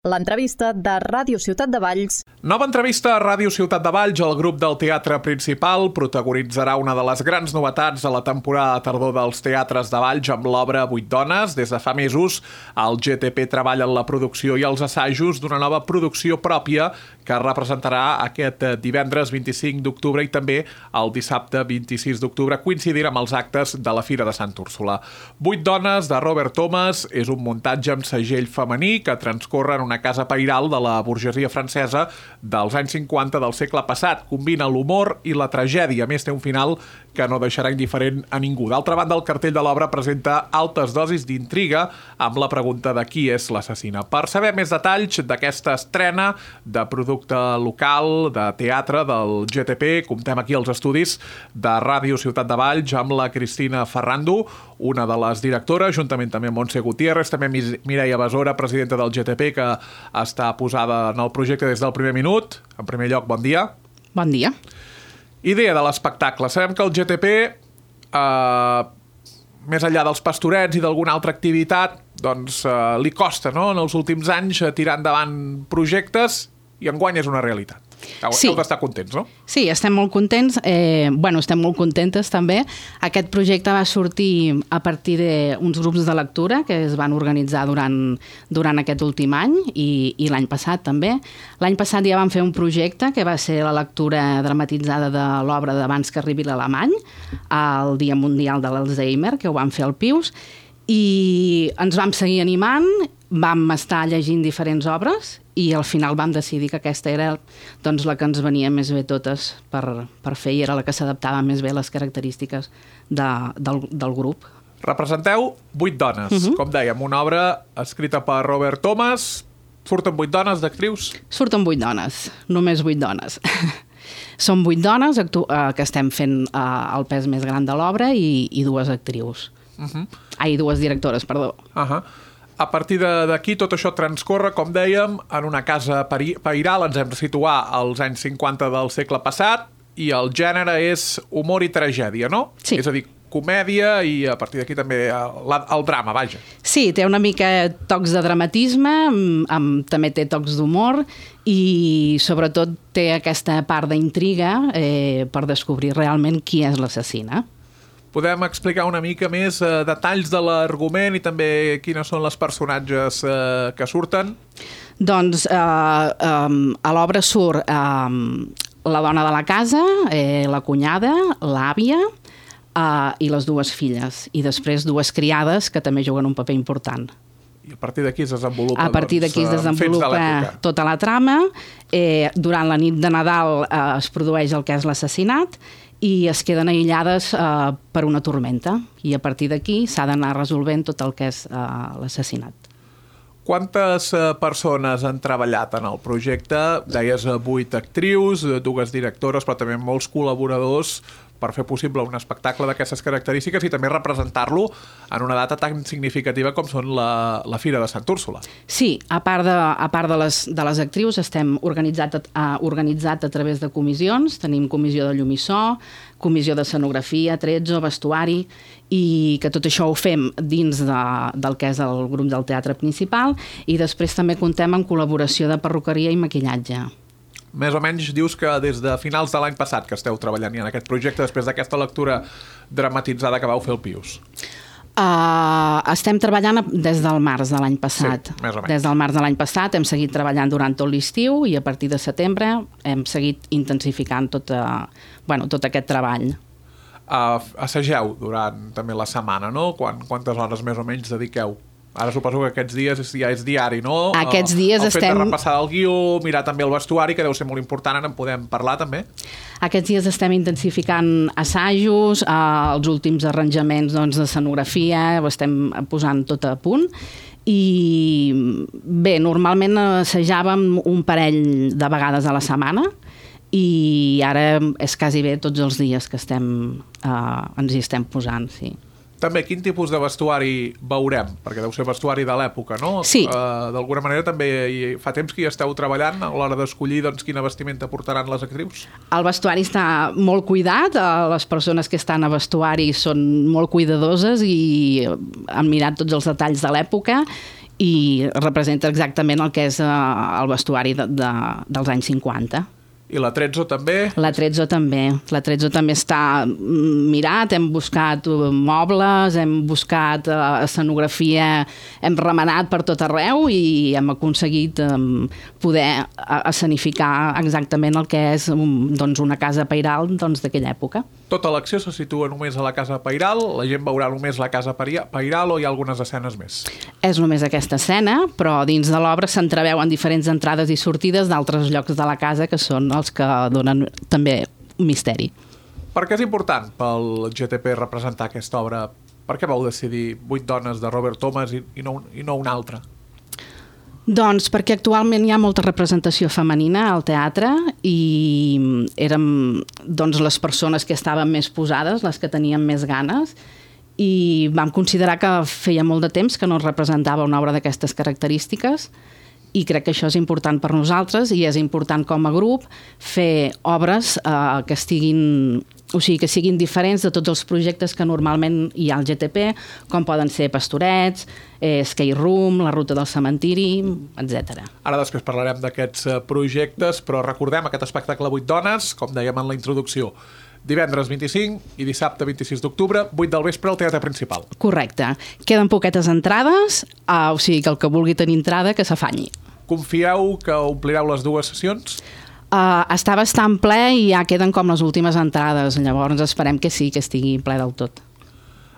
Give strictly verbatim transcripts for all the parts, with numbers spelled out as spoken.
L'entrevista de Ràdio Ciutat de Valls. Nova entrevista a Ràdio Ciutat de Valls. El grup del Teatre Principal protagonitzarà una de les grans novetats de la temporada de tardor dels teatres de Valls amb l'obra Vuit dones. Des de fa mesos, el G T P treballa en la producció i els assajos d'una nova producció pròpia que representarà aquest divendres vint-i-cinc d'octubre i també el dissabte vint-i-sis d'octubre, coincidint amb els actes de la Fira de Sant Úrsula. Vuit dones, de Robert Thomas, és un muntatge amb segell femení que transcorre en una casa pairal de la burgesia francesa dels anys cinquanta del segle passat. Combina l'humor i la tragèdia. A més, té un final que no deixarà indiferent a ningú. D'altra banda, el cartell de l'obra presenta altes dosis d'intriga amb la pregunta de qui és l'assassina. Per saber més detalls d'aquesta estrena de producte local, de teatre del G T P, comptem aquí als estudis de Ràdio Ciutat de Valls amb la Cristina Ferrando, una de les directores, juntament també amb Montse Gutiérrez, també Mireia Besora, presidenta del G T P, que està posada en el projecte des del primer minut. En primer lloc, bon dia. Bon dia. Idea de l'espectacle. Sabem que el G T P, eh, més enllà dels pastorets i d'alguna altra activitat, doncs eh, li costa, no?, en els últims anys tirar endavant projectes, i enguany és una realitat. Heu, sí. heu d'estar contents, no? Sí, estem molt contents. Eh, bueno, estem molt contentes també. Aquest projecte va sortir a partir d'uns grups de lectura que es van organitzar durant, durant aquest últim any i, i l'any passat també. L'any passat ja vam fer un projecte que va ser la lectura dramatitzada de l'obra d'Abans que arribi l'alemany, al Dia Mundial de l'Alzheimer, que ho vam fer al Pius, i ens vam seguir animant, vam estar llegint diferents obres i al final vam decidir que aquesta era doncs, la que ens venia més bé totes per, per fer i era la que s'adaptava més bé a les característiques de, del, del grup. Representeu vuit dones, uh-huh. com dèiem, una obra escrita per Robert Thomas. Surten vuit dones d'actrius? Surten vuit dones, només vuit dones. Són vuit dones actu- eh, que estem fent eh, el pes més gran de l'obra i, i dues actrius. Uh-huh. Ai, dues directores, perdó. Uh-huh. A partir d'aquí tot això transcorre, com dèiem, en una casa pairal. Ens hem de situar als anys cinquanta del segle passat i el gènere és humor i tragèdia, no? Sí. És a dir, comèdia i a partir d'aquí també el, el drama, vaja. Sí, té una mica tocs de dramatisme, amb, amb, també té tocs d'humor i sobretot té aquesta part d'intriga eh, per descobrir realment qui és l'assassina. Podem explicar una mica més eh, detalls de l'argument i també quines són les personatges eh, que surten? Doncs eh, eh, a l'obra surt eh, la dona de la casa, eh, la cunyada, l'àvia eh, i les dues filles. I després dues criades que també juguen un paper important. I a partir d'aquí es desenvolupa, a partir d'aquí es desenvolupa de tota la trama. Eh, durant la nit de Nadal eh, es produeix el que és l'assassinat i es queden aïllades eh, per una tormenta. I a partir d'aquí s'ha d'anar resolvent tot el que és eh, l'assassinat. Quantes eh, persones han treballat en el projecte? Deies eh, vuit actrius, dues directores, però també molts col·laboradors per fer possible un espectacle d'aquestes característiques i també representar-lo en una data tan significativa com són la, la Fira de Sant Úrsula. Sí, a part de, a part de, les, de les actrius estem organitzat a, organitzat a través de comissions. Tenim comissió de llum i so, comissió d'escenografia, tretzo, vestuari, i que tot això ho fem dins de, del que és el grup del Teatre Principal i després també contem amb col·laboració de perruqueria i maquillatge. Més o menys dius que des de finals de l'any passat que esteu treballant en aquest projecte després d'aquesta lectura dramatitzada que vau fer al Pius. Uh, estem treballant des del març de l'any passat. Sí, més o menys. Des del març de l'any passat hem seguit treballant durant tot l'estiu i a partir de setembre hem seguit intensificant tot, uh, bueno, tot aquest treball. Uh, assageu durant també la setmana, no? Quan, quantes hores més o menys dediqueu? Ara suposo que aquests dies ja és diari, no? Aquests dies el estem... El fet de repassar el guió, mirar també el vestuari, que deu ser molt important, ara en podem parlar també? Aquests dies estem intensificant assajos, eh, els últims arranjaments doncs, d'escenografia, ho estem posant tot a punt. I bé, normalment assajàvem un parell de vegades a la setmana i ara és quasi bé tots els dies que estem, eh, ens hi estem posant, sí. També, quin tipus de vestuari veurem? Perquè deu ser vestuari de l'època, no? Sí. Uh, D'alguna manera també fa temps que hi esteu treballant a l'hora d'escollir doncs, quina vestimenta portaran les actrius? El vestuari està molt cuidat, les persones que estan a vestuari són molt cuidadoses i han mirat tots els detalls de l'època i representa exactament el que és eh, el vestuari de, de, dels anys cinquanta. I la Trezzo també? La Trezzo també. La Trezzo també està mirat, hem buscat mobles, hem buscat escenografia, hem remenat per tot arreu i hem aconseguit poder escenificar exactament el que és doncs, una casa pairal doncs, d'aquella època. Tota l'acció se situa només a la casa pairal? La gent veurà només la casa pairal o hi ha algunes escenes més? És només aquesta escena, però dins de l'obra s'entreveuen diferents entrades i sortides d'altres llocs de la casa que són els que donen també un misteri. Per què és important pel G T P representar aquesta obra? Per què vau decidir Vuit dones de Robert Thomas i, i, no, i no una altra? Doncs perquè actualment hi ha molta representació femenina al teatre i érem doncs, les persones que estaven més posades, les que tenien més ganes, i vam considerar que feia molt de temps que no es representava una obra d'aquestes característiques i crec que això és important per nosaltres i és important com a grup fer obres eh, que estiguin, o sigui, que siguin diferents de tots els projectes que normalment hi ha al G T P, com poden ser Pastorets, eh, Skate Room, La ruta del cementiri, etcètera. Ara després parlarem d'aquests projectes, però recordem aquest espectacle Vuit dones, com dèiem en la introducció, divendres vint-i-cinc i dissabte vint-i-sis d'octubre, vuit del vespre al Teatre Principal. Correcte. Queden poquetes entrades, eh, o sigui que el que vulgui tenir entrada que s'afanyi. Confieu que omplireu les dues sessions? Uh, està bastant ple i ja queden com les últimes entrades, llavors esperem que sí, que estigui ple del tot.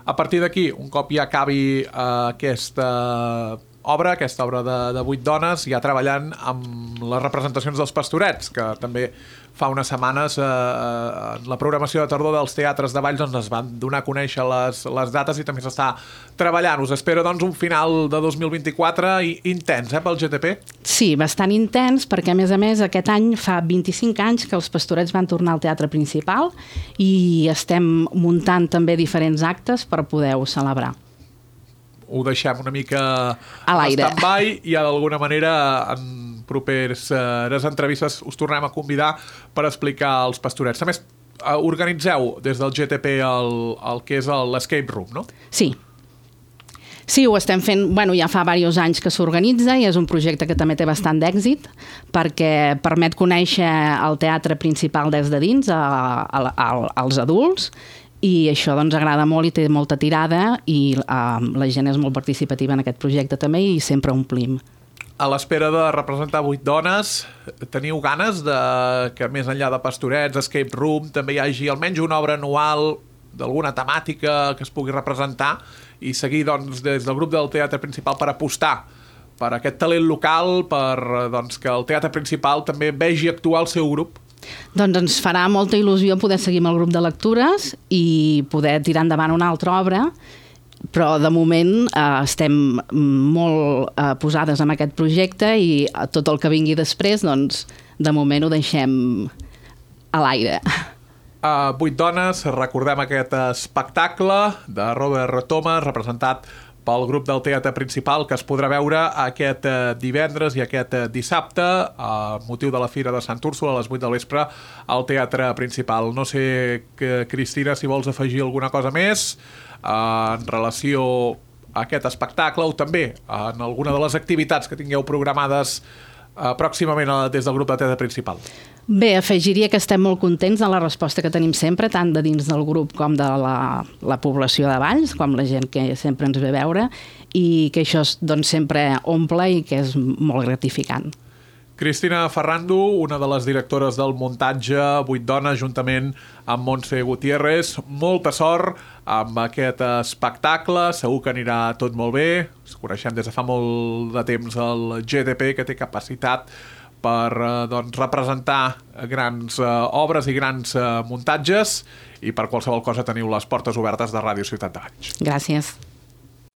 A partir d'aquí, un cop ja acabi uh, aquesta obra, aquesta obra de, de Vuit dones, ja treballant amb les representacions dels Pastorets, que també fa unes setmanes eh, en la programació de tardor dels teatres de Valls doncs es van donar a conèixer les, les dates i també s'està treballant. Us espero doncs un final de dos mil vint-i-quatre i intens eh, pel G T P? Sí, bastant intens, perquè a més a més aquest any fa vint-i-cinc anys que els Pastorets van tornar al Teatre Principal i estem muntant també diferents actes per poder-ho celebrar. Ho deixem una mica a l'aire stand-by i d'alguna manera en properes eh, entrevistes us tornem a convidar per explicar els Pastorets. A més, eh, organitzeu des del G T P el, el que és l'Escape Room, no? Sí. Sí, ho estem fent, bueno, ja fa diversos anys que s'organitza i és un projecte que també té bastant d'èxit perquè permet conèixer el teatre principal des de dins a, a, a, als adults i això doncs agrada molt i té molta tirada i uh, la gent és molt participativa en aquest projecte també i sempre omplim. A l'espera de representar Vuit dones, teniu ganes de que més enllà de Pastorets, Escape Room, també hi hagi almenys una obra anual d'alguna temàtica que es pugui representar i seguir doncs, des del grup del Teatre Principal per apostar per aquest talent local, per doncs, que el Teatre Principal també vegi actuar el seu grup? Doncs ens farà molta il·lusió poder seguir amb el grup de lectures i poder tirar endavant una altra obra, però de moment eh, estem molt eh, posades en aquest projecte i tot el que vingui després, doncs, de moment ho deixem a l'aire. Uh, Vuit dones, recordem aquest espectacle de Robert Thomas, representat pel grup del Teatre Principal, que es podrà veure aquest eh, divendres i aquest eh, dissabte, a motiu de la Fira de Sant Úrsula, a les vuit del vespre, al Teatre Principal. No sé, que, Cristina, si vols afegir alguna cosa més eh, en relació a aquest espectacle o també en alguna de les activitats que tingueu programades eh, pròximament a, des del grup del Teatre Principal. Bé, afegiria que estem molt contents de la resposta que tenim sempre, tant de dins del grup com de la, la població de Valls, com la gent que sempre ens ve a veure, i que això doncs, sempre omple i que és molt gratificant. Cristina Ferrando, una de les directores del muntatge Vuit dones, juntament amb Montse Gutiérrez. Molta sort amb aquest espectacle, segur que anirà tot molt bé. Ens coneixem des de fa molt de temps el G T P, que té capacitat per eh, doncs, representar grans eh, obres i grans eh, muntatges i per qualsevol cosa teniu les portes obertes de Ràdio Ciutat de Valls. Gràcies.